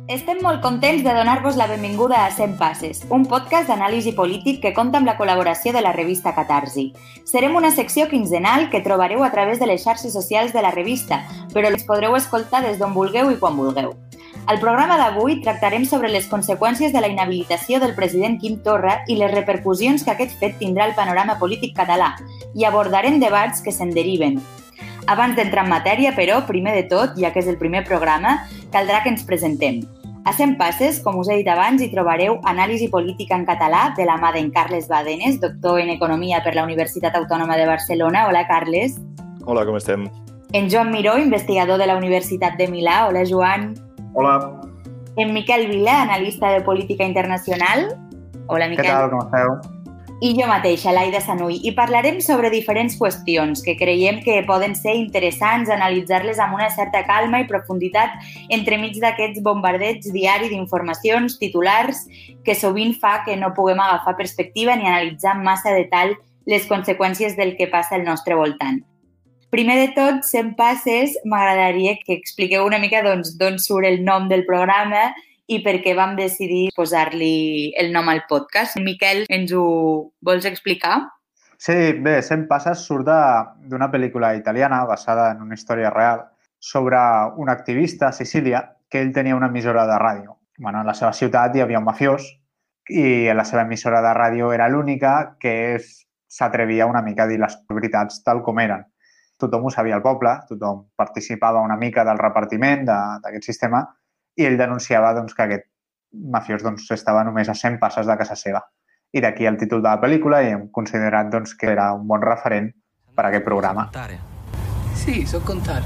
Estem molt contents de donar-vos la benvinguda a 100 Passes, un podcast d'anàlisi polític que compta amb la col·laboració de la revista Catarsi. Serem una secció quinzenal que trobareu a través de les xarxes socials de la revista, però les podreu escoltar des d'on vulgueu i quan vulgueu. Al programa d'avui tractarem sobre les conseqüències de la inhabilitació del president Quim Torra i les repercussions que aquest fet tindrà al panorama polític català i abordarem debats que se'n deriven. Abans d'entrar en matèria, però, primer de tot, ja que és el primer programa, caldrà que ens presentem. A 100 Passes, com us he dit abans, hi trobareu anàlisi política en català de la mà d'en Carles Badenes, doctor en Economia per la Universitat Autònoma de Barcelona. Hola, Carles. Hola, com estem? En Joan Miró, investigador de la Universitat de Milà. Hola, Joan. Hola. En Miquel Vila, analista de política internacional. Hola, Miquel. Què tal, com esteu? I jo mateixa, Laida Sanuy, i parlarem sobre diferents qüestions que creiem que poden ser interessants analitzar-les amb una certa calma i profunditat entremig d'aquests bombardeigs diaris d'informacions, titulars, que sovint fa que no puguem agafar perspectiva ni analitzar amb massa detall les conseqüències del que passa al nostre voltant. Primer de tot, 100 Passes, m'agradaria que expliqueu una mica d'on surt el nom del programa i per què vam decidir posar-li el nom al podcast. Miquel, ens ho vols explicar? Sí, bé, 100 Passes surt d'una pel·lícula italiana basada en una història real sobre un activista a Sicília que ell tenia una emissora de ràdio. Bueno, a la seva ciutat hi havia un mafiós i la seva emissora de ràdio era l'única que s'atrevia una mica a dir les veritats tal com eren. Tothom ho sabia al poble, tothom participava una mica del repartiment d'aquest sistema i ell denunciava que aquest mafiós estava només a 100 passes de casa seva. I d'aquí el títol de la pel·lícula i hem considerat que era un bon referent per a aquest programa. Sì, so contare.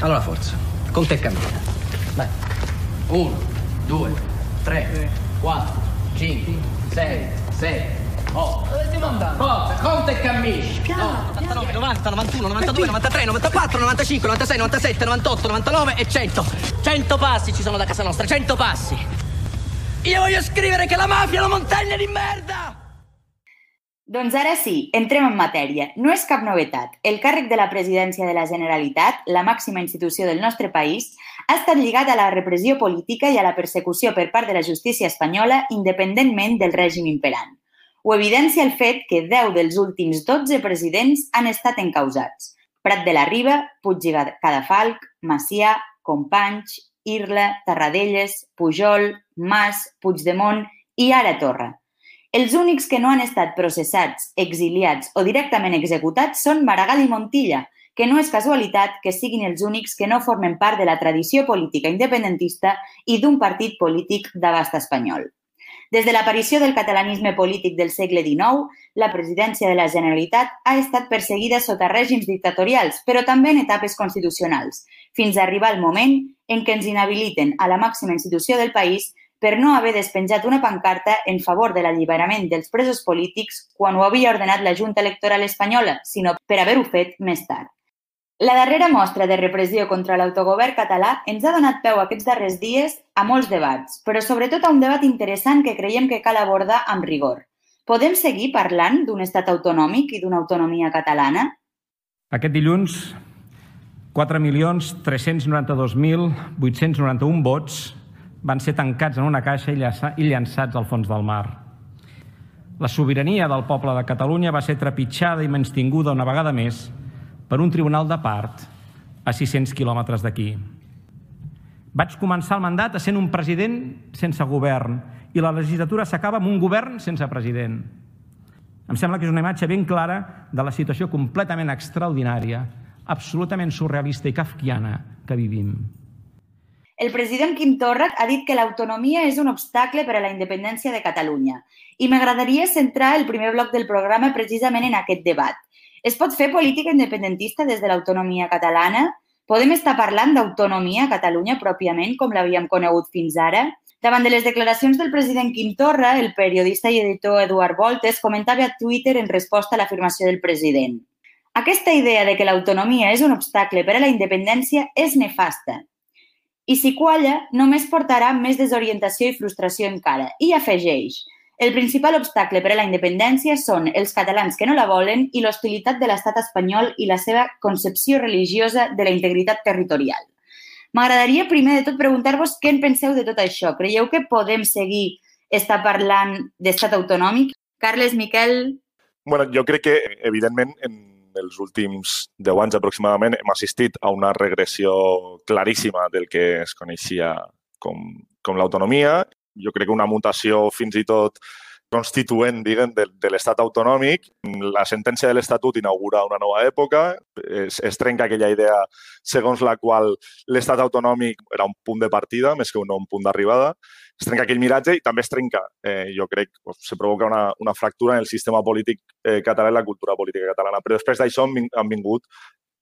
Allora forza, conta e cammina. Vai. 1, 2, 3, 4, 5, 6, 7, 8. Dove stiamo andando? Forza, conta e cammini. 89, 90, 91, 92, 93, 94, 95, 96, 97, 98, 99 e 100. 100 passi ci sono da casa nostra, 100 passi. Io voglio scrivere che la mafia è una montagna di merda! Doncs ara sí, entrem en matèria. No és cap novetat. El càrrec de la presidència de la Generalitat, la màxima institució del nostre país, ha estat lligat a la repressió política i a la persecució per part de la justícia espanyola independentment del règim imperant. Ho evidencia el fet que 10 dels últims 12 presidents han estat encausats. Prat de la Riba, Puig i Cadafalch, Macià, Companys, Irla, Tarradellas, Pujol, Mas, Puigdemont i ara Torra. Els únics que no han estat processats, exiliats o directament executats són Maragall i Montilla, que no és casualitat que siguin els únics que no formen part de la tradició política independentista i d'un partit polític d'abast espanyol. Des de l'aparició del catalanisme polític del segle XIX, la presidència de la Generalitat ha estat perseguida sota règims dictatorials, però també en etapes constitucionals, fins a arribar al moment en què ens inhabiliten a la màxima institució del país per no haver despenjat una pancarta en favor de l'alliberament dels presos polítics quan ho havia ordenat la Junta Electoral espanyola, sinó per haver-ho fet més tard. La darrera mostra de repressió contra l'autogovern català ens ha donat peu aquests darrers dies a molts debats, però sobretot a un debat interessant que creiem que cal abordar amb rigor. Podem seguir parlant d'un estat autonòmic i d'una autonomia catalana? Aquest dilluns, 4.392.891 vots van ser tancats en una caixa i llançats al fons del mar. La sobirania del poble de Catalunya va ser trepitjada i menystinguda una vegada més per un tribunal de part a 600 quilòmetres d'aquí. Vaig començar el mandat essent un president sense govern i la legislatura s'acaba amb un govern sense president. Em sembla que és una imatge ben clara de la situació completament extraordinària, absolutament surrealista i kafkiana que vivim. El president Quim Torra ha dit que l'autonomia és un obstacle per a la independència de Catalunya i m'agradaria centrar el primer bloc del programa precisament en aquest debat. Es pot fer política independentista des de l'autonomia catalana? Podem estar parlant d'autonomia a Catalunya pròpiament com l'havíem conegut fins ara? Davant de les declaracions del president Quim Torra, el periodista i editor Eduard Voltes comentava a Twitter en resposta a l'afirmació del president. Aquesta idea de que l'autonomia és un obstacle per a la independència és nefasta. I si qualla, només portarà més desorientació i frustració encara. I afegeix: el principal obstacle per a la independència són els catalans que no la volen i l'hostilitat de l'estat espanyol i la seva concepció religiosa de la integritat territorial. M'agradaria primer de tot preguntar-vos què en penseu de tot això. Creieu que podem seguir estar parlant d'estat autonòmic? Carles, Miquel... Bueno, jo crec que, evidentment, en els últims 10 anys aproximadament hem assistit a una regressió claríssima del que es coneixia com l'autonomia. Jo crec que una mutació fins i tot constituent, diguem, de l'estat autonòmic. La sentència de l'Estatut inaugura una nova època, es trenca aquella idea segons la qual l'estat autonòmic era un punt de partida més que un punt d'arribada. Es trenca aquell miratge i també es trenca, jo crec, se provoca una fractura en el sistema polític català i la cultura política catalana. Però després d'això han vingut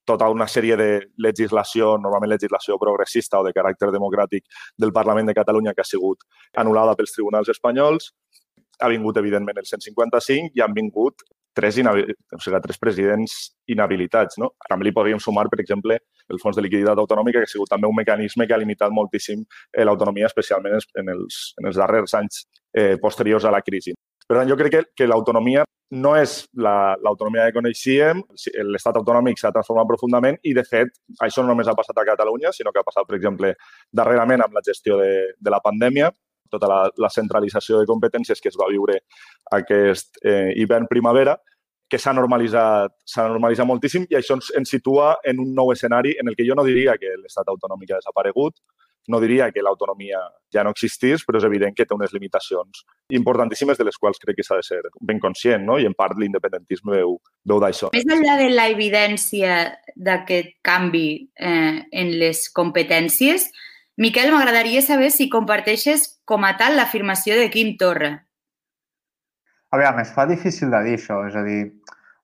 tota una sèrie de legislació, normalment legislació progressista o de caràcter democràtic del Parlament de Catalunya que ha sigut anul·lada pels tribunals espanyols. Ha vingut, evidentment, el 155 i han vingut tres presidents inhabilitats. No? També li podríem sumar, per exemple, el Fons de Liquiditat Autonòmica, que ha sigut també un mecanisme que ha limitat moltíssim l'autonomia, especialment en els darrers anys posteriors a la crisi. Per tant, jo crec que l'autonomia no és l'autonomia que coneixíem, l'estat autonòmic s'ha transformat profundament i, de fet, això no només ha passat a Catalunya, sinó que ha passat, per exemple, darrerament amb la gestió de la pandèmia, tota la centralització de competències que es va viure aquest hivern-primavera, que s'ha normalitzat moltíssim i això ens situa en un nou escenari en el que jo no diria que l'estat autonòmic ha desaparegut, no diria que l'autonomia ja no existís, però és evident que té unes limitacions importantíssimes de les quals crec que s'ha de ser ben conscient, no? I en part l'independentisme veu d'això. Més enllà de la evidència d'aquest canvi en les competències, Miquel, m'agradaria saber si comparteixes com a tal l'afirmació de Quim Torra. A veure, es fa difícil de dir això. És a dir,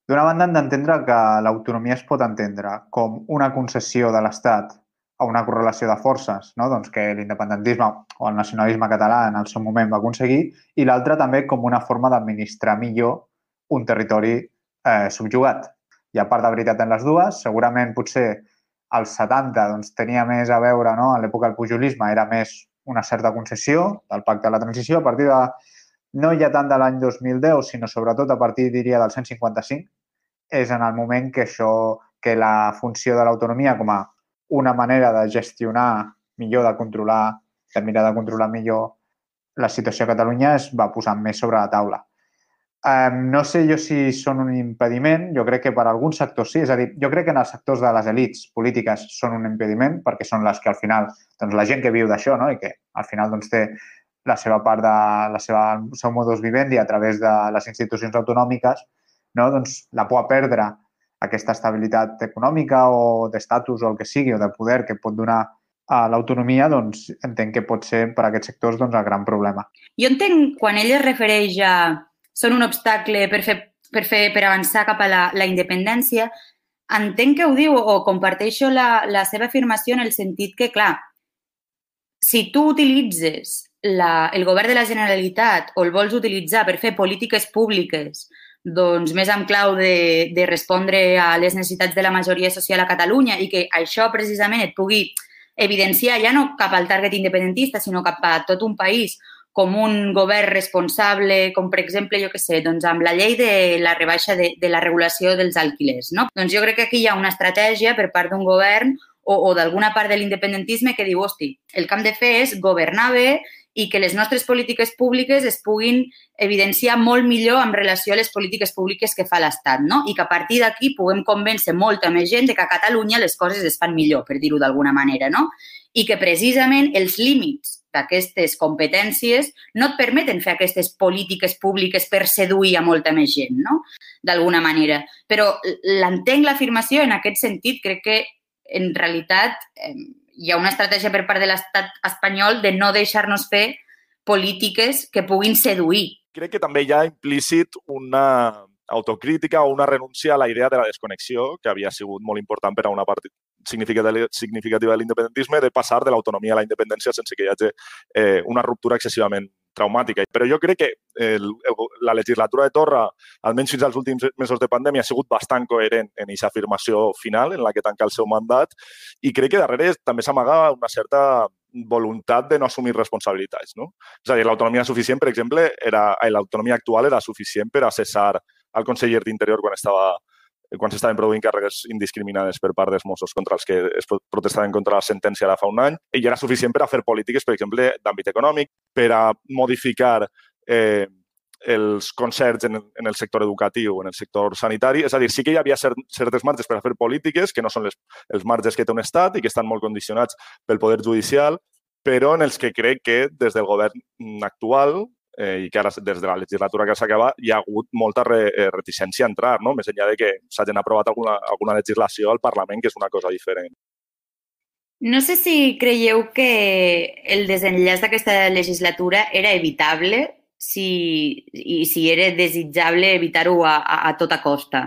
d'una banda hem d'entendre que l'autonomia es pot entendre com una concessió de l'Estat a una correlació de forces, no? Doncs que l'independentisme o el nacionalisme català en el seu moment va aconseguir, i l'altra també com una forma d'administrar millor un territori subjugat. Hi ha part de veritat en les dues. Segurament potser als 70 doncs, tenia més a veure, no? A l'època del pujolisme era més una certa concessió del pacte de la transició. A partir de, no ja tant de l'any 2010, sinó sobretot a partir, diria, del 155, és en el moment que la funció de l'autonomia com a una manera de gestionar millor, de mirar de controlar millor la situació a Catalunya es va posar més sobre la taula. No sé jo si són un impediment, jo crec que per alguns sectors sí, és a dir, jo crec que en els sectors de les elits polítiques són un impediment perquè són les que al final, doncs la gent que viu d'això, no? I que al final doncs, té la seva part el seu modus vivendi a través de les institucions autonòmiques, no? Doncs la por a perdre aquesta estabilitat econòmica o d'estatus o el que sigui, o de poder que pot donar a l'autonomia, doncs entenc que pot ser per a aquests sectors doncs, el gran problema. Jo entenc quan ell es refereix a són un obstacle per avançar cap a la independència, entenc que ho diu o comparteixo la seva afirmació en el sentit que, clar, si tu utilitzes el govern de la Generalitat o el vols utilitzar per fer polítiques públiques doncs més en clau de respondre a les necessitats de la majoria social a Catalunya i que això precisament et pugui evidenciar ja no cap al target independentista, sinó cap a tot un país com un govern responsable, com per exemple, jo què sé, doncs amb la llei de la rebaixa de la regulació dels alquilers, no? Doncs jo crec que aquí hi ha una estratègia per part d'un govern o d'alguna part de l'independentisme que diu, hosti, el que hem de fer és governar bé i que les nostres polítiques públiques es puguin evidenciar molt millor en relació a les polítiques públiques que fa l'Estat, no? I que a partir d'aquí puguem convèncer molta més gent de que a Catalunya les coses es fan millor, per dir-ho d'alguna manera, no? I que precisament els límits d'aquestes competències no et permeten fer aquestes polítiques públiques per seduir a molta més gent, no? D'alguna manera. Però l'entenc l'afirmació en aquest sentit. Crec que, en realitat, hi ha una estratègia per part de l'estat espanyol de no deixar-nos fer polítiques que puguin seduir. Crec que també hi ha implícit una autocrítica o una renúncia a la idea de la desconnexió, que havia sigut molt important per a una part significativa de l'independentisme, de passar de l'autonomia a la independència sense que hi hagi una ruptura excessivament traumàtica. Però jo crec que la legislatura de Torra, almenys fins als últims mesos de pandèmia, ha sigut bastant coherent en aquesta afirmació final en la que tanca el seu mandat i crec que darrere també s'amaga una certa voluntat de no assumir responsabilitats, no? És a dir, l'autonomia suficient, per exemple, l'autonomia actual era suficient per a cessar el conseller d'Interior quan estava quan s'estaven produint càrregues indiscriminades per part dels Mossos contra els que es protestaven contra la sentència ara fa un any, i era suficient per a fer polítiques, per exemple, d'àmbit econòmic, per a modificar els concerts en el sector educatiu, en el sector sanitari. És a dir, sí que hi havia certes marges per a fer polítiques, que no són els marges que té un estat i que estan molt condicionats pel poder judicial, però en els que crec que des del govern actual i que ara des de la legislatura que s'acaba hi ha hagut molta reticència a entrar, no? Més enllà de que s'hagin aprovat alguna legislació al Parlament, que és una cosa diferent. No sé si creieu que el desenllaç d'aquesta legislatura era evitable i si era desitjable evitar-ho a tota costa.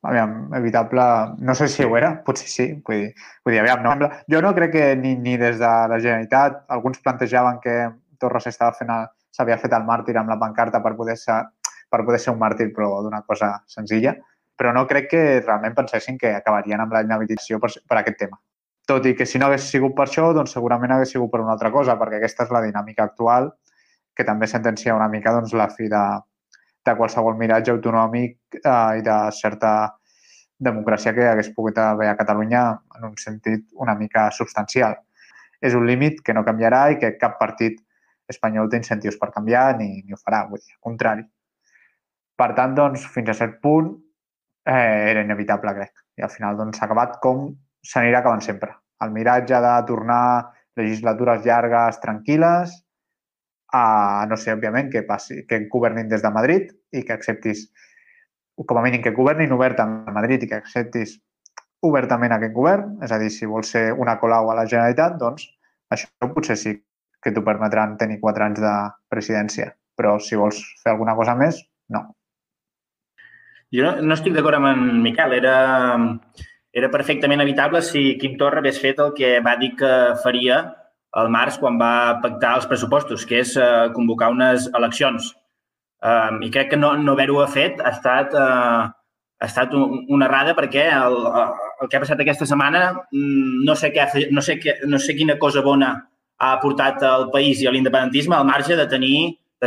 Aviam, evitable, no sé si ho era, potser sí, vull dir, aviam, no. Jo no crec que ni des de la Generalitat, alguns plantejaven que Torra s'havia fet el màrtir amb la pancarta per poder ser un màrtir, però d'una cosa senzilla, però no crec que realment pensessin que acabarien amb la inhabilitació per aquest tema. Tot i que si no hagués sigut per això, doncs segurament hagués sigut per una altra cosa, perquè aquesta és la dinàmica actual, que també sentencia una mica doncs, la fi de qualsevol miratge autonòmic i de certa democràcia que hagués pogut haver a Catalunya en un sentit una mica substancial. És un límit que no canviarà i que cap partit espanyol té incentius per canviar ni ho farà, vull dir, al contrari. Per tant, doncs, fins a cert punt era inevitable, crec. I al final doncs, s'ha acabat com s'anirà acabant sempre. El miratge de tornar legislatures llargues, tranquil·les, no sé, òbviament, que governin des de Madrid i que acceptis, com a mínim, que governin obertament a Madrid i que acceptis obertament aquest govern, és a dir, si vols ser una Colau a la Generalitat, doncs això potser sí que t'ho permetran tenir 4 anys de presidència, però si vols fer alguna cosa més, no. Jo no estic d'acord amb en Miquel. Era perfectament evitable si Quim Torra hagués fet el que va dir que faria al març quan va pactar els pressupostos, que és convocar unes eleccions. I crec que no haver-ho fet ha estat una errada perquè el que ha passat aquesta setmana no sé quina cosa bona ha aportat al país i a l'independentisme al marge de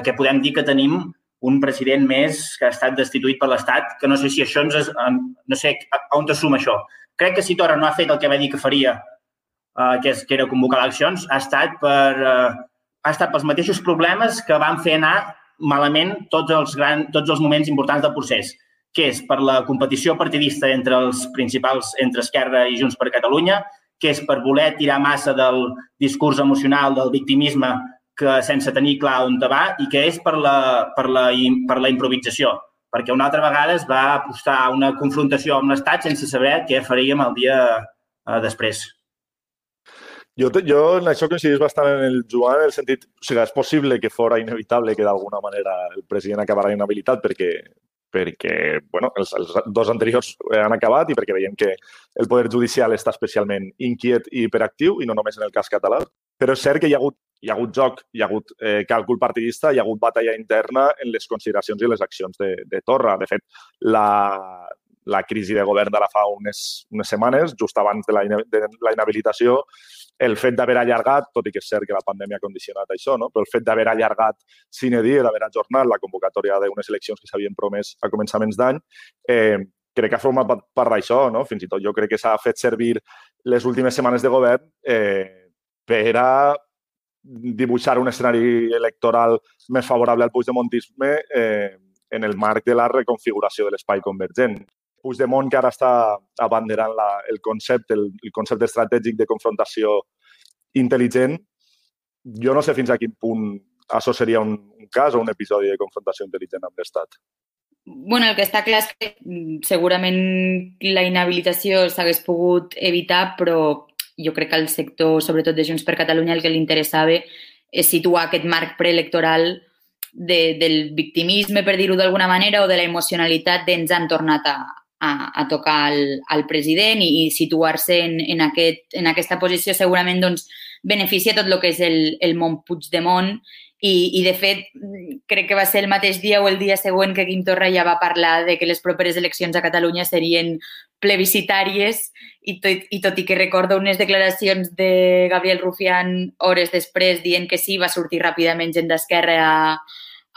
que podem dir que tenim un president més que ha estat destituït per l'Estat, que no sé si això no sé on te suma això. Crec que si Torra no ha fet el que va dir que faria, que era convocar eleccions, ha estat pels mateixos problemes que van fer anar malament tots els moments importants del procés, que és per la competició partidista entre els principals, entre Esquerra i Junts per Catalunya, que és per voler tirar massa del discurs emocional, del victimisme, que sense tenir clar on va, i que és per la improvisació, perquè una altra vegada es va apostar a una confrontació amb l'Estat sense saber què faríem el dia després. Jo en això coincidís bastant en el Joan, en el sentit, o sigui, és possible que fora inevitable que d'alguna manera el president acabara inhabilitat perquè bueno, els 2 anteriors han acabat i perquè veiem que el poder judicial està especialment inquiet i hiperactiu, i no només en el cas català. Però és cert que hi ha hagut joc, hi ha hagut càlcul partidista, hi ha hagut batalla interna en les consideracions i les accions de Torra. De fet, la crisi de govern d'ara fa unes setmanes, just abans de la inhabilitació, el fet d'haver allargat, tot i que és cert que la pandèmia ha condicionat això, no? Però el fet d'haver allargat sine die, d'haver ajornat la convocatòria d'unes eleccions que s'havien promès a començaments d'any, crec que ha format part d'això, no? Fins i tot jo crec que s'ha fet servir les últimes setmanes de govern per a dibuixar un escenari electoral més favorable al puigdemontisme en el marc de la reconfiguració de l'espai convergent. Puigdemont, que ara està abanderant el concepte estratègic de confrontació intel·ligent, jo no sé fins a quin punt això seria un cas o un episodi de confrontació intel·ligent amb l'Estat. Bueno, el que està clar és que segurament la inhabilitació s'hagués pogut evitar, però jo crec que al sector, sobretot de Junts per Catalunya, el que li interessava és situar aquest marc preelectoral del victimisme, per dir-ho d'alguna manera, o de la emocionalitat d'ens han tornat a tocar al president i situar-se en aquesta posició segurament doncs, beneficia tot el que és el món Puigdemont i, de fet, crec que va ser el mateix dia o el dia següent que Quim Torra ja va parlar de que les properes eleccions a Catalunya serien plebiscitàries i tot i que recordo unes declaracions de Gabriel Rufián hores després dient que sí, va sortir ràpidament gent d'Esquerra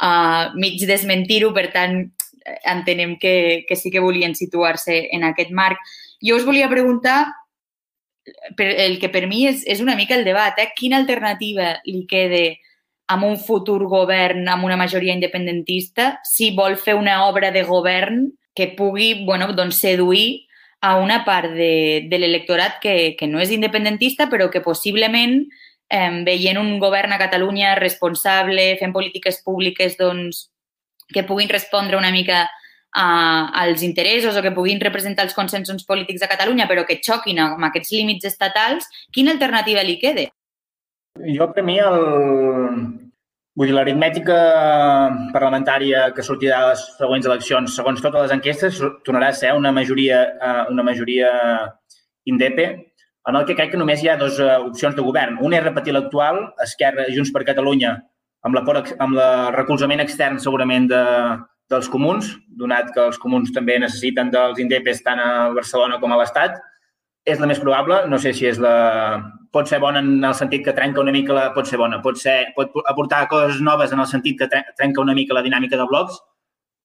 a mig desmentir-ho, per tant, entenem que sí que volien situar-se en aquest marc. Jo us volia preguntar, el que per mi és una mica el debat, quina alternativa li queda amb un futur govern amb una majoria independentista si vol fer una obra de govern que pugui seduir a una part de l'electorat que no és independentista però que possiblement veient un govern a Catalunya responsable, fent polítiques públiques que puguin respondre una mica als interessos o que puguin representar els consensos polítics de Catalunya però que xoquin amb aquests límits estatals, quina alternativa li queda? Jo, per mi, l'aritmètica parlamentària que sortirà de les següents eleccions, segons totes les enquestes, tornarà a ser una majoria indepe, en el que crec que només hi ha dues opcions de govern. Una és repetir l'actual, Esquerra i Junts per Catalunya, amb el recolzament extern segurament dels comuns, donat que els comuns també necessiten dels indepes tant a Barcelona com a l'Estat. És la més probable, no sé si és pot ser bona en el sentit que trenca una mica pot ser bona, pot aportar coses noves en el sentit que trenca una mica la dinàmica de blocs.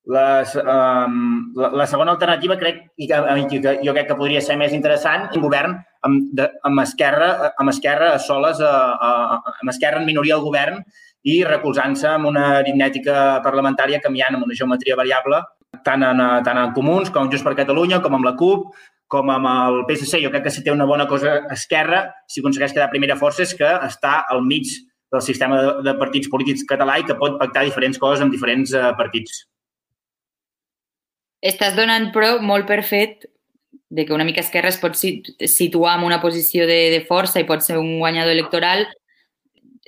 La segona alternativa jo crec que podria ser més interessant, un govern amb Esquerra a soles, amb Esquerra en minoria al govern i recolzant-se amb una aritmètica parlamentària canviant amb una geometria variable, tant en Comuns com en Junts per Catalunya, com amb la CUP, com amb el PSC. Jo crec que si té una bona cosa Esquerra, si aconsegueix quedar primera força, és que està al mig del sistema de partits polítics català i que pot pactar diferents coses amb diferents partits. Estàs donant, però, molt per fet de que una mica Esquerra es pot situar en una posició de força i pot ser un guanyador electoral.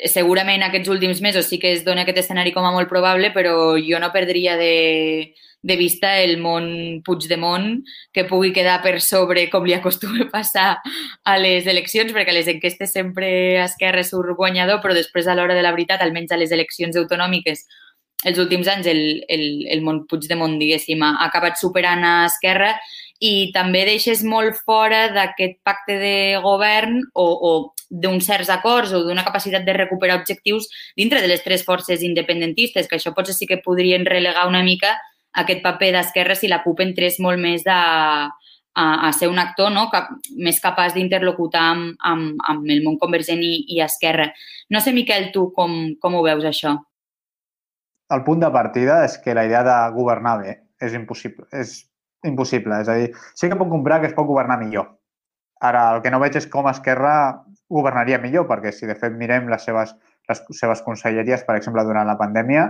Segurament aquests últims mesos sí que es dona aquest escenari com a molt probable, però jo no perdria de vista el món Puigdemont que pugui quedar per sobre, com li acostuma a passar a les eleccions, perquè a les enquestes sempre Esquerra surt guanyador, però després a l'hora de la veritat, almenys a les eleccions autonòmiques, els últims anys el món Puigdemont, diguéssim, ha acabat superant a Esquerra i també deixes molt fora d'aquest pacte de govern o d'uns certs acords o d'una capacitat de recuperar objectius dintre de les tres forces independentistes, que això potser sí que podrien relegar una mica aquest paper d'Esquerra si la CUP entrés molt més a ser un actor més capaç d'interlocutar amb el món convergent i Esquerra. No sé, Miquel, tu com ho veus, això? El punt de partida és que la idea de governar bé és impossible. És a dir, sí que puc comprar que es pot governar millor. Ara, el que no veig és com Esquerra governaria millor, perquè si de fet mirem les seves conselleries, per exemple, durant la pandèmia,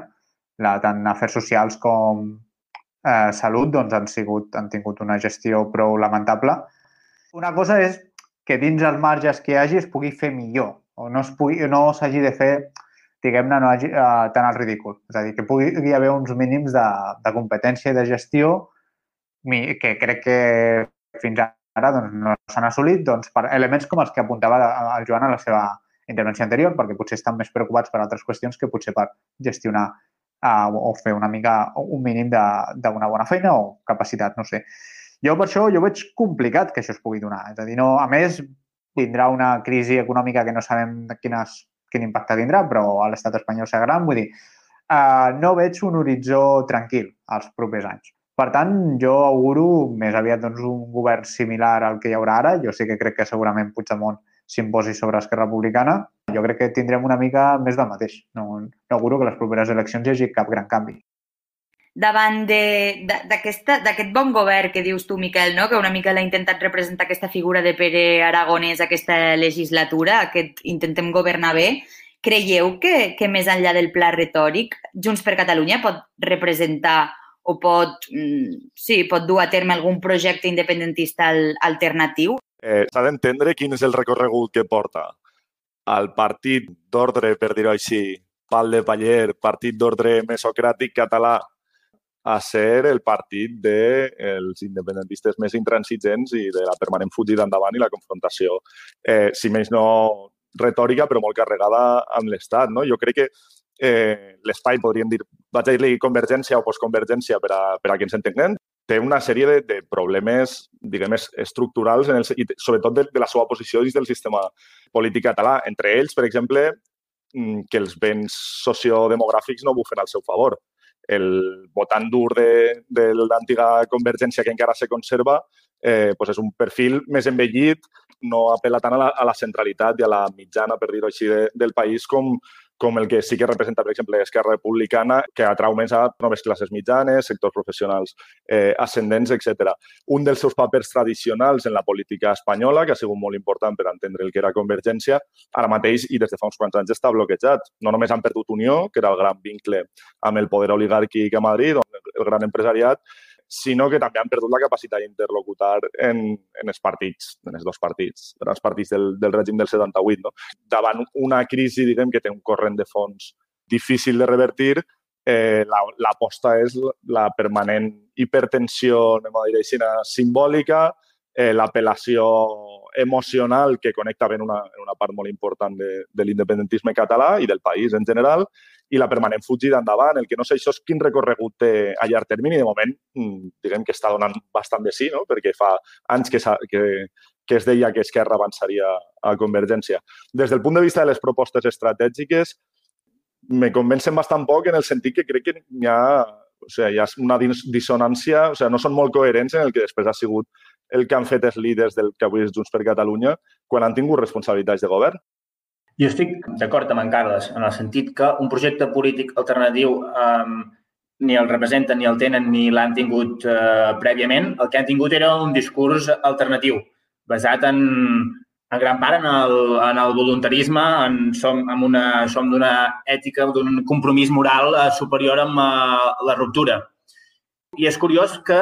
tant afers socials com salut, doncs han tingut una gestió prou lamentable. Una cosa és que dins els marges que hi hagi es pugui fer millor, o no s'hagi de fer, diguem-ne, tant al ridícul. És a dir, que pugui haver uns mínims de competència i de gestió que crec que fins ara no s'han assolit per elements com els que apuntava el Joan a la seva intervenció anterior, perquè potser estan més preocupats per altres qüestions que potser per gestionar o fer un mínim d'una bona feina o capacitat, no sé. Jo per això veig complicat que això es pugui donar. És a dir, a més, tindrà una crisi econòmica que no sabem quin impacte tindrà, però a l'estat espanyol serà gran. Vull dir, no veig un horitzó tranquil als propers anys. Per tant, jo auguro més aviat un govern similar al que hi haurà ara. Jo sí que crec que segurament Puigdemont s'imposi sobre Esquerra Republicana. Jo crec que tindrem una mica més del mateix. No auguro que les properes eleccions hi hagi cap gran canvi. Davant d'aquest bon govern que dius tu, Miquel, que una mica l'ha intentat representar aquesta figura de Pere Aragonès aquesta legislatura, aquest intentem governar bé, creieu que més enllà del pla retòric, Junts per Catalunya pot representar o pot dur a terme algun projecte independentista alternatiu? S'ha d'entendre quin és el recorregut que porta el partit d'ordre, per dir-ho així, pal de paller, partit d'ordre mesocràtic català, a ser el partit dels independentistes més intransigents i de la permanent fugida endavant i la confrontació, si més no retòrica, però molt carregada amb l'Estat. Jo crec que l'espai, podríem dir, vaig a dir-li convergència o postconvergència per a que ens entenguem, té una sèrie de problemes, diguem, estructurals, i sobretot de la seva posició dins del sistema polític català. Entre ells, per exemple, que els vents sociodemogràfics no bufen al seu favor. el votant dur de l'antiga Convergència que encara se conserva és un perfil més envellit, no apel·la tant a la centralitat i a la mitjana, per dir-ho així, del país com el que sí que representa, per exemple, Esquerra Republicana, que atrau més a noves classes mitjanes, sectors professionals ascendents, etc. Un dels seus papers tradicionals en la política espanyola, que ha sigut molt important per entendre el que era Convergència, ara mateix i des de fa uns quants anys està bloquejat. No només han perdut Unió, que era el gran vincle amb el poder oligàrquic a Madrid, el gran empresariat, sinó que també han perdut la capacitat d'interlocutar en els partits, en els dos partits, grans partits del règim del 78. No? Davant una crisi, diguem, que té un corrent de fons difícil de revertir, l'aposta és la permanent hipertensió, anem a dir així, simbòlica, l'apel·lació emocional que connecta ben una part molt important de l'independentisme català i del país en general, i la permanent fugida endavant. El que no sé això és quin recorregut té a llarg termini. De moment, diguem que està donant bastant de sí, no? Perquè fa anys que es deia que Esquerra avançaria a Convergència. Des del punt de vista de les propostes estratègiques, me convencen bastant poc en el sentit que crec que hi ha una dissonància, no són molt coherents en el que després ha sigut el que han fet els líders del que avui és Junts per Catalunya quan han tingut responsabilitats de govern. Jo estic d'acord amb en Carles, en el sentit que un projecte polític alternatiu ni el representen, ni el tenen, ni l'han tingut prèviament. El que han tingut era un discurs alternatiu, basat en gran part en el voluntarisme, som d'una ètica, d'un compromís moral superior amb la ruptura. I és curiós que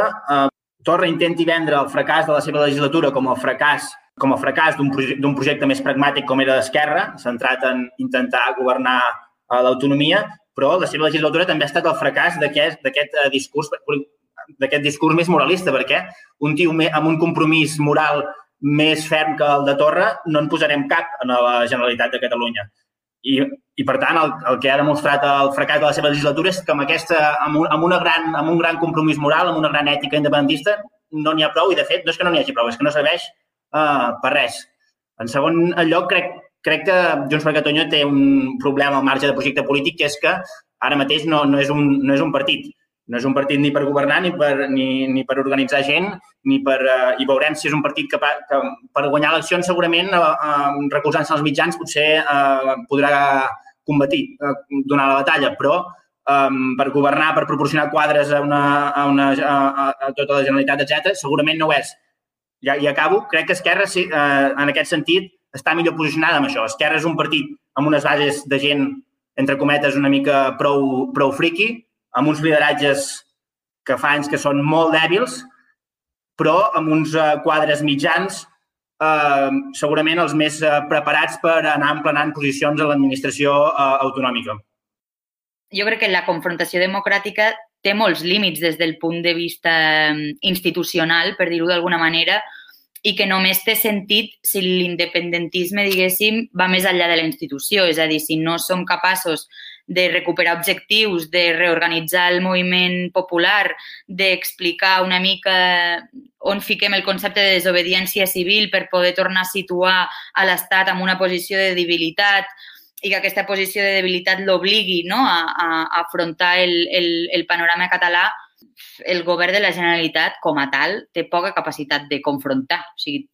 Torra intenti vendre el fracàs de la seva legislatura com el fracàs d'un projecte més pragmàtic com era d'Esquerra, centrat en intentar governar l'autonomia, però la seva legislatura també ha estat el fracàs d'aquest discurs més moralista, perquè un tio amb un compromís moral més ferm que el de Torra no en posarem cap a la Generalitat de Catalunya. I per tant, el que ha demostrat el fracàs de la seva legislatura és que amb un gran compromís moral, amb una gran ètica independentista, no n'hi ha prou, i de fet no és que no n'hi hagi prou, és que no serveix per res. En segon lloc, crec que Junts per Catalunya té un problema al marge de projecte polític, que és que ara mateix no és un partit. No és un partit ni per governar, ni per organitzar gent, i veurem si és un partit que per guanyar eleccions segurament, recolzant-se als mitjans, potser podrà combatir, donar la batalla, però per governar, per proporcionar quadres a tota la Generalitat, etc., segurament no ho és. I acabo, crec que Esquerra, en aquest sentit, està millor posicionada amb això. Esquerra és un partit amb unes bases de gent, entre cometes, una mica prou friqui, amb uns lideratges que fa anys que són molt dèbils, però amb uns quadres mitjans segurament els més preparats per anar emplenant posicions a l'administració autonòmica. Jo crec que la confrontació democràtica té molts límits des del punt de vista institucional, per dir-ho d'alguna manera, i que només té sentit si l'independentisme, diguéssim, va més enllà de la institució. És a dir, si no som capaços de recuperar objectius, de reorganitzar el moviment popular, d'explicar una mica on fiquem el concepte de desobediència civil per poder tornar a situar a l'Estat en una posició de debilitat i que aquesta posició de debilitat l'obligui, no, a afrontar el panorama català, el govern de la Generalitat, com a tal, té poca capacitat de confrontar. O sigui,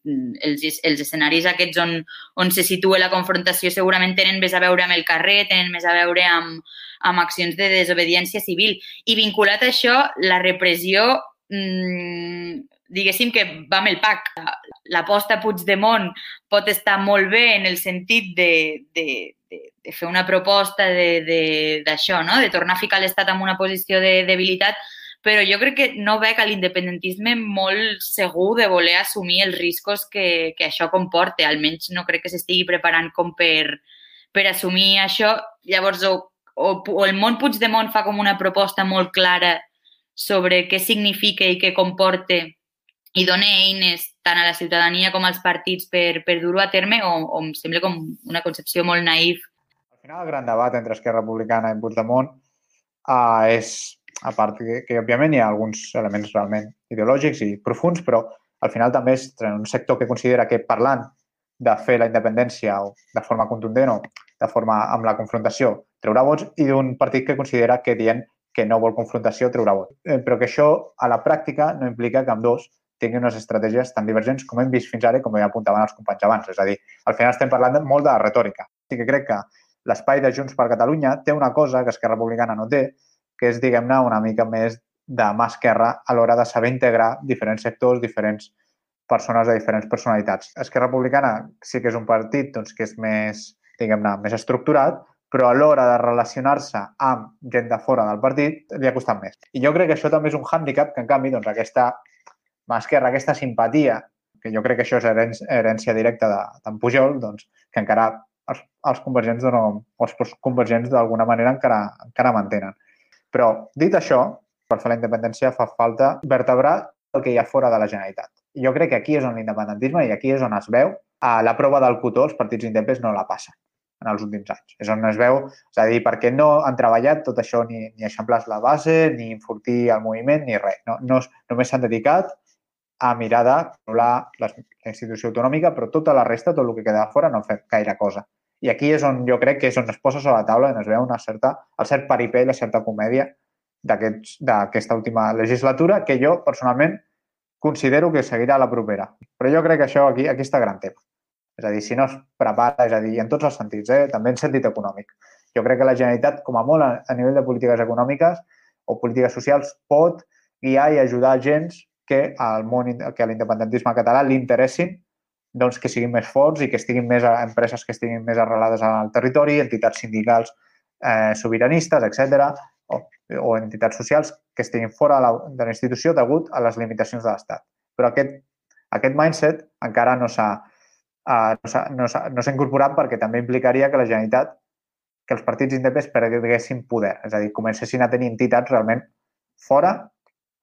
els escenaris aquests on se situa la confrontació segurament tenen més a veure amb el carrer, tenen més a veure amb accions de desobediència civil. I vinculat a això, la repressió, diguéssim que va amb el pack. L'aposta Puigdemont pot estar molt bé en el sentit de fer una proposta d'això, no? De tornar a ficar l'Estat en una posició de debilitat, però jo crec que no veig a l'independentisme molt segur de voler assumir els riscos que això comporta. Almenys no crec que s'estigui preparant com per assumir això. Llavors, o el món Puigdemont fa com una proposta molt clara sobre què significa i què comporta i dona eines tant a la ciutadania com als partits per dur-ho a terme, o em sembla com una concepció molt naïf. Al final, el gran debat entre Esquerra Republicana i Puigdemont és, a part que òbviament hi ha alguns elements realment ideològics i profuns, però al final també és un sector que considera que parlant de fer la independència o de forma contundent o de forma amb la confrontació traurà vots, i d'un partit que considera que dient que no vol confrontació treurà vot. Però que això, a la pràctica, no implica que ambdós tinguin unes estratègies tan divergents com hem vist fins ara i com ja apuntaven els companys abans. És a dir, al final estem parlant molt de retòrica. Sí que crec que l'espai de Junts per Catalunya té una cosa que Esquerra Republicana no té, que és, diguem-ne, una mica més de mà esquerra a l'hora de saber integrar diferents sectors, diferents persones de diferents personalitats. Esquerra Republicana sí que és un partit doncs, que és més, diguem-ne, més estructurat, però a l'hora de relacionar-se amb gent de fora del partit li ha costat més. I jo crec que això també és un hàndicap que, en canvi, doncs, aquesta mà esquerra, aquesta simpatia, que jo crec que això és herència directa d'en Pujol, doncs, que encara els convergents d'alguna manera encara mantenen. Però, dit això, per fer la independència fa falta vertebrar el que hi ha fora de la Generalitat. I jo crec que aquí és on l'independentisme i aquí és on es veu la prova del cotó, els partits independents no la passen en els últims anys. És on es veu, és a dir, perquè no han treballat tot això, ni eixamplar la base, ni enfortir el moviment, ni res. Només s'han dedicat a mirar de controlar la institució autonòmica, però tota la resta, tot el que queda fora, no ha fet gaire cosa. I aquí és on jo crec que és on es posa sobre la taula, on es veu el cert paripé i la certa comèdia d'aquesta última legislatura, que jo, personalment, considero que seguirà la propera. Però jo crec que això aquí està gran tema. És a dir, si no es prepara, és a dir, en tots els sentits, també en sentit econòmic. Jo crec que la Generalitat, com a molt a nivell de polítiques econòmiques o polítiques socials, pot guiar i ajudar agents que a l'independentisme català li interessin doncs, que siguin més forts i que estiguin més empreses que estiguin més arrelades al territori, entitats sindicals sobiranistes, etc., o entitats socials que estiguin fora de la institució degut a les limitacions de l'Estat. Però aquest mindset encara no s'ha incorporat perquè també implicaria que la Generalitat, que els partits independents perguessin poder, és a dir, comencessin a tenir entitats realment fora,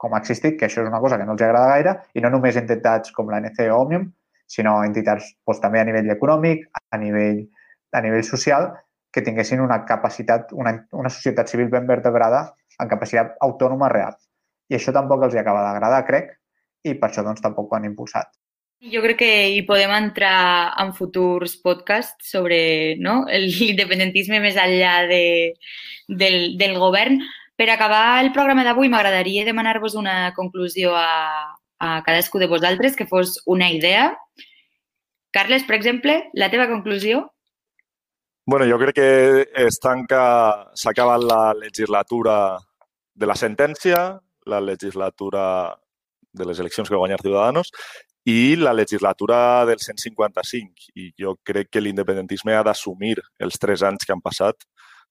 com ha existit, que això és una cosa que no els agrada gaire, i no només entitats com l'ANC o Òmnium, sinó entitats també a nivell econòmic, a nivell social, que tinguessin una capacitat, una societat civil ben vertebrada en capacitat autònoma real. I això tampoc els acaba d'agradar, crec, i per això doncs, tampoc ho han impulsat. Jo crec que hi podem entrar en futurs podcasts sobre l'independentisme més enllà del govern. Per acabar el programa d'avui m'agradaria demanar-vos una conclusió a cadascú de vosaltres, que fos una idea. Carles, per exemple, la teva conclusió? Bueno, jo crec que s'ha acabat la legislatura de la sentència, la legislatura de les eleccions que va guanyar Ciudadanos i la legislatura del 155. I jo crec que l'independentisme ha d'assumir els 3 anys que han passat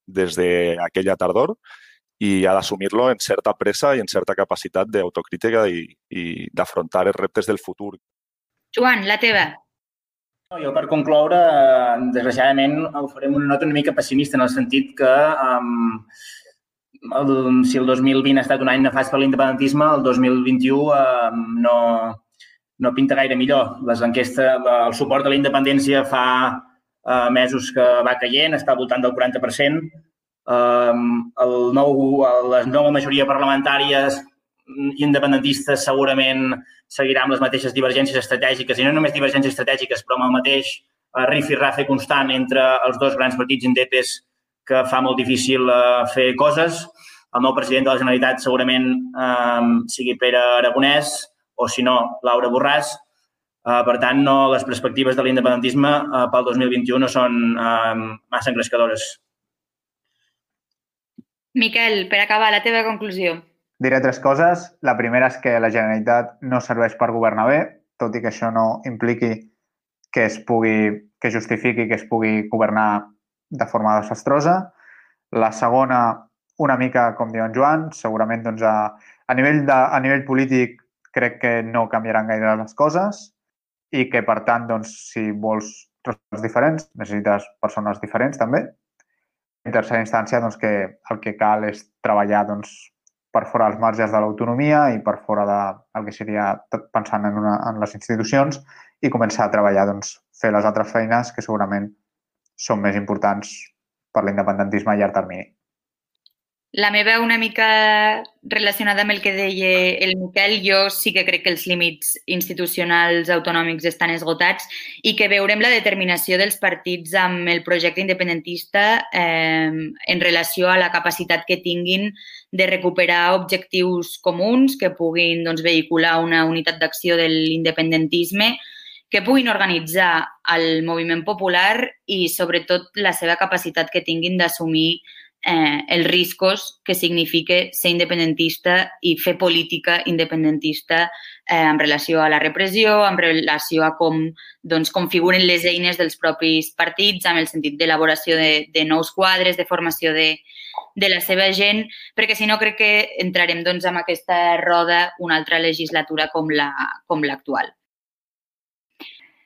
des d'aquella tardor i ha d'assumir-lo en certa pressa i en certa capacitat d'autocrítica i d'afrontar els reptes del futur. Joan, la teva? Jo, per concloure, desgraciadament, ho farem una nota una mica pessimista en el sentit que si el 2020 ha estat un any nefast per l'independentisme, el 2021 no pinta gaire millor. Les enquestes, el suport a la independència fa mesos que va caient, està al voltant del 40%. Les noves majories parlamentàries independentistes segurament seguirà amb les mateixes divergències estratègiques, i no només divergències estratègiques, però amb el mateix rifirrafe constant entre els dos grans partits indepes que fa molt difícil fer coses. El nou president de la Generalitat segurament sigui Pere Aragonès o, si no, Laura Borràs. Per tant, les perspectives de l'independentisme pel 2021 no són massa engrescadores. Miquel, per acabar, la teva conclusió. Diré 3 coses. La primera és que la Generalitat no serveix per governar bé, tot i que això no impliqui que justifiqui que es pugui governar de forma desastrosa. La segona, una mica com diu en Joan, segurament doncs, a nivell polític crec que no canviaran gaire les coses i que, per tant, doncs, si vols resultats diferents, necessites persones diferents també. En tercera instància, doncs, que el que cal és treballar doncs, per fora dels marges de l'autonomia i per fora del que seria pensant en les institucions i començar a treballar, doncs, fer les altres feines que segurament són més importants per l'independentisme a llarg termini. La meva una mica relacionada amb el que deia el Miquel, jo sí que crec que els límits institucionals autonòmics estan esgotats i que veurem la determinació dels partits amb el projecte independentista en relació a la capacitat que tinguin de recuperar objectius comuns que puguin vehicular una unitat d'acció de l'independentisme, que puguin organitzar el moviment popular i, sobretot, la seva capacitat que tinguin d'assumir els riscos que significa ser independentista i fer política independentista en relació a la repressió, en relació a com configuren les eines dels propis partits, amb el sentit d'elaboració de nous quadres, de formació de la seva gent, perquè si no crec que entrarem en aquesta roda una altra legislatura com l'actual.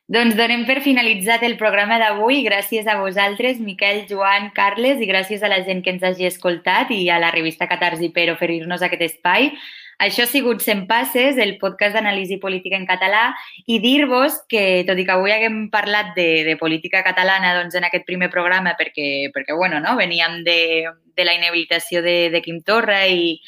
Doncs donem per finalitzat el programa d'avui. Gràcies a vosaltres, Miquel, Joan, Carles, i gràcies a la gent que ens hagi escoltat i a la revista Catarsi per oferir-nos aquest espai. Això ha sigut 100 Passes, el podcast d'anàlisi política en català, i dir-vos que, tot i que avui haguem parlat de política catalana en aquest primer programa, perquè veníem de la inhabilitació de Quim Torra i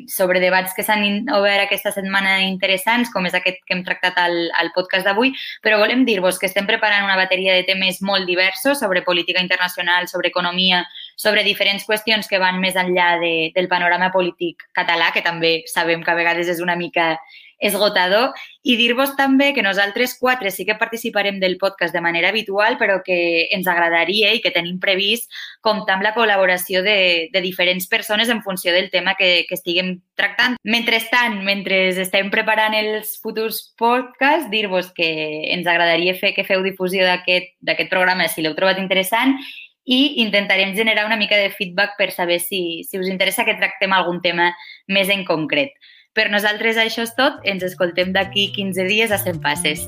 sobre debats que s'han obert aquesta setmana interessants, com és aquest que hem tractat al podcast d'avui, però volem dir-vos que estem preparant una bateria de temes molt diversos sobre política internacional, sobre economia, sobre diferents qüestions que van més enllà del panorama polític català, que també sabem que a vegades és una mica esgotador, i dir-vos també que nosaltres 4 sí que participarem del podcast de manera habitual, però que ens agradaria i que tenim previst comptar amb la col·laboració de diferents persones en funció del tema que estiguem tractant. Mentrestant, mentre estem preparant els futurs podcasts, dir-vos que ens agradaria que feu difusió d'aquest programa si l'heu trobat interessant i intentarem generar una mica de feedback per saber si us interessa que tractem algun tema més en concret. Per nosaltres això és tot. Ens escoltem d'aquí 15 dies a 100 Passes.